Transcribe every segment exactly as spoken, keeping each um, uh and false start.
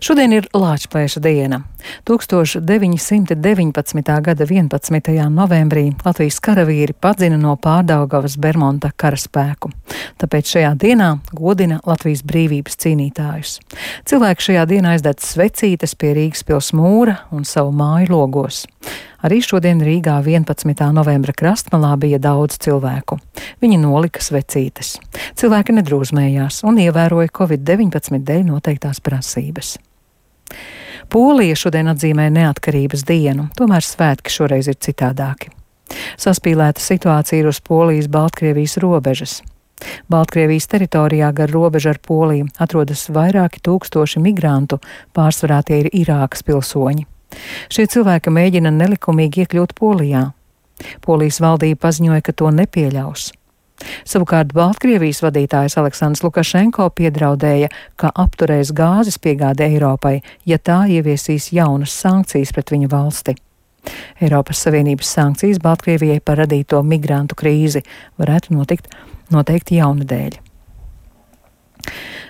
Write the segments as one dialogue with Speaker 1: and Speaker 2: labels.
Speaker 1: Šodien ir Lāčplēša diena. tūkstoš deviņi simti deviņpadsmitā gada vienpadsmitajā novembrī Latvijas karavīri padzina no Pārdaugavas Bermonta karaspēku. Tāpēc šajā dienā godina Latvijas brīvības cīnītājus. Cilvēki šajā dienā aizdedz svecītes pie Rīgas pils mūra un savu māju logos. Arī šodien Rīgā vienpadsmitā novembra krastmalā bija daudz cilvēku. Viņi nolika svecītes. Cilvēki nedrūzmējās un ievēroja covid deviņpadsmit dēļ noteiktās prasības. Polija šodien atzīmē neatkarības dienu, tomēr svētki šoreiz ir citādāki. Saspīlēta situācija ir uz Polijas-Baltkrievijas robežas. Baltkrievijas teritorijā gar robežu ar Poliju atrodas vairāki tūkstoši migrantu, pārsvarā tie ir Irākas pilsoņi. Šie cilvēki mēģina nelikumīgi iekļūt Polijā. Polijas valdība paziņoja, ka to nepieļaus. Savukārt Baltkrievijas vadītājs Aleksandrs Lukašenko piedraudēja, ka apturēs gāzes piegādi Eiropai, ja tā ieviesīs jaunas sankcijas pret viņa valsti. Eiropas Savienības sankcijas Baltkrievijai par radīto migrantu krīzi varētu notikt noteikti jaunadēļ.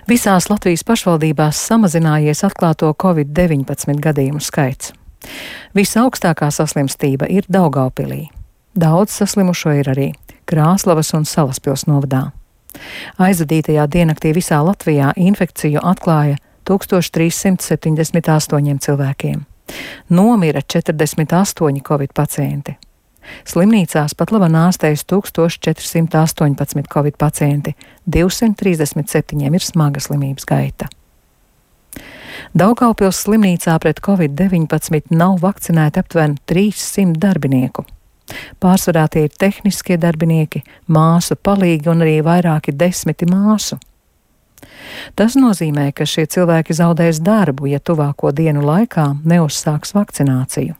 Speaker 1: Visās Latvijas pašvaldībās samazinājies atklāto covid deviņpadsmit gadījumu skaits. Visaugstākā saslimstība ir Daugavpilī. Daudz saslimušo ir arī Krāslavas un Salaspils novadā. Aizvadītajā diennaktī visā Latvijā infekciju atklāja tūkstoš trīs simti septiņdesmit astoņiem cilvēkiem. Nomira četrdesmit astoņi covid pacienti. Slimnīcās pat labāk ārstējas tūkstoš četri simti astoņpadsmit covid pacienti, divsimt trīsdesmit septiņiem ir smaga slimības gaita. Daugavpils slimnīcā pret covid deviņpadsmit nav vakcinēti aptuveni trīssimt darbinieku. Pārsvarā tie ir tehniskie darbinieki, māsu palīgi un arī vairāki desmiti māsu. Tas nozīmē, ka šie cilvēki zaudēs darbu, ja tuvāko dienu laikā neuzsāks vakcināciju.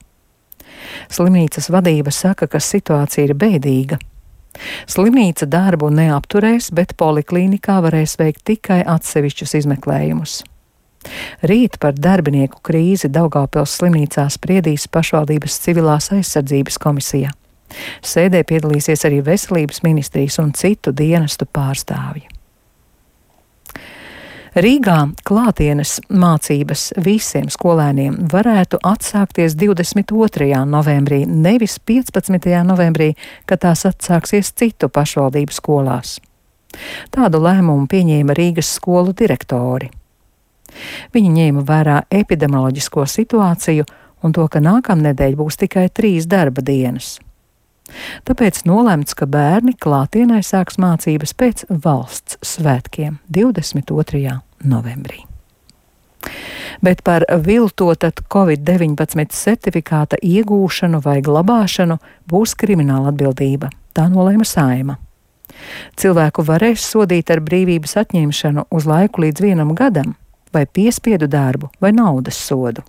Speaker 1: Slimnīcas vadība saka, ka situācija ir bēdīga. Slimnīca darbu neapturēs, bet poliklīnikā varēs veikt tikai atsevišķus izmeklējumus. Rīt par darbinieku krīzi Daugavpils slimnīcā spriedīs pašvaldības civilās aizsardzības komisija. Sēdē piedalīsies arī veselības ministrijas un citu dienestu pārstāvji. Rīgā klātienes mācības visiem skolēniem varētu atsākties divdesmit otrajā novembrī, nevis piecpadsmitajā novembrī, kad tās atsāksies citu pašvaldību skolās. Tādu lēmumu pieņēma Rīgas skolu direktori. Viņi ņēma vērā epidemioloģisko situāciju un to, ka nākamnedēļ būs tikai trīs darba dienas. Tāpēc nolemts, ka bērni klātienē sāks mācības pēc valsts svētkiem divdesmit otrajā novembrī. Bet par viltotat covid deviņpadsmit certifikāta iegūšanu vai glabāšanu būs krimināla atbildība. Tā nolēma Saeima. Cilvēku varēs sodīt ar brīvības atņemšanu uz laiku līdz vienam gadam, vai piespiedu darbu, vai naudas sodu.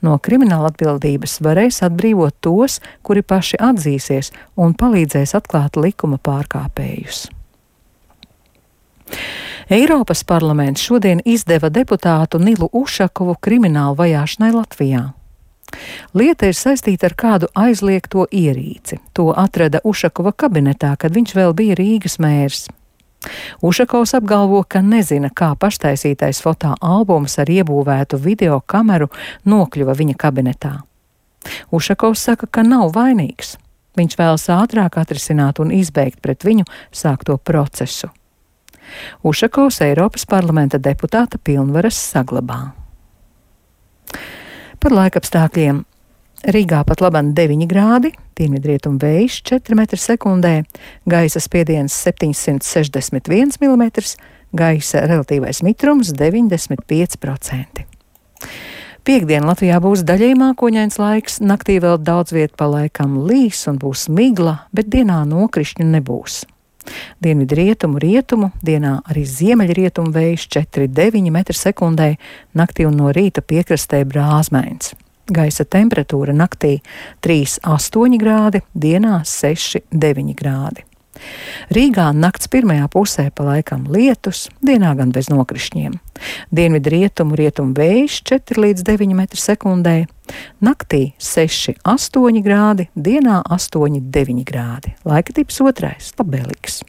Speaker 1: No krimināla atbildības varēs atbrīvot tos, kuri paši atzīsies un palīdzēs atklāt likuma pārkāpējus. Eiropas parlaments šodien izdeva deputātu Nilu Ušakovu kriminālu vajāšanai Latvijā. Lieta ir saistīta ar kādu aizliegto ierīci. To atrada Ušakova kabinetā, kad viņš vēl bija Rīgas mērs. Ušakovs apgalvo, ka nezina, kā paštaisītais fotoalbums ar iebūvētu video kameru nokļuva viņa kabinetā. Ušakovs saka, ka nav vainīgs. Viņš vēlas ātrāk atrisināt un izbeigt pret viņu sākto procesu. Ušakovs Eiropas parlamenta deputāta pilnvaras saglabā. Par laikapstākļiem. Rīgā pat labāk deviņi grādi, dienvidrietumu vējš četri metri sekundē, gaisa spiediens septiņsimt sešdesmit viens milimetrs, gaisa relatīvais mitrums deviņdesmit pieci procenti. Piektdien Latvijā būs daļēji mākoņains laiks, naktī vēl daudz viet pa laikam līs un būs migla, bet dienā nokrišņu nebūs. Dienvidrietumu, rietumu, dienā arī ziemeļrietumu vējš četri deviņi metri sekundē, naktī un no rīta piekrastē brāzmains. Gaisa temperatūra naktī trīs astoņi grādi, dienā seši deviņi grādi. Rīgā nakts pirmajā pusē pa laikam lietus, dienā gan bez nokrišņiem. Dienvidu rietumu, rietumu vējš četri līdz deviņi metri sekundē, naktī seši astoņi grādi, dienā astoņi deviņi grādi. Laika tips otrais, labvēlīgs.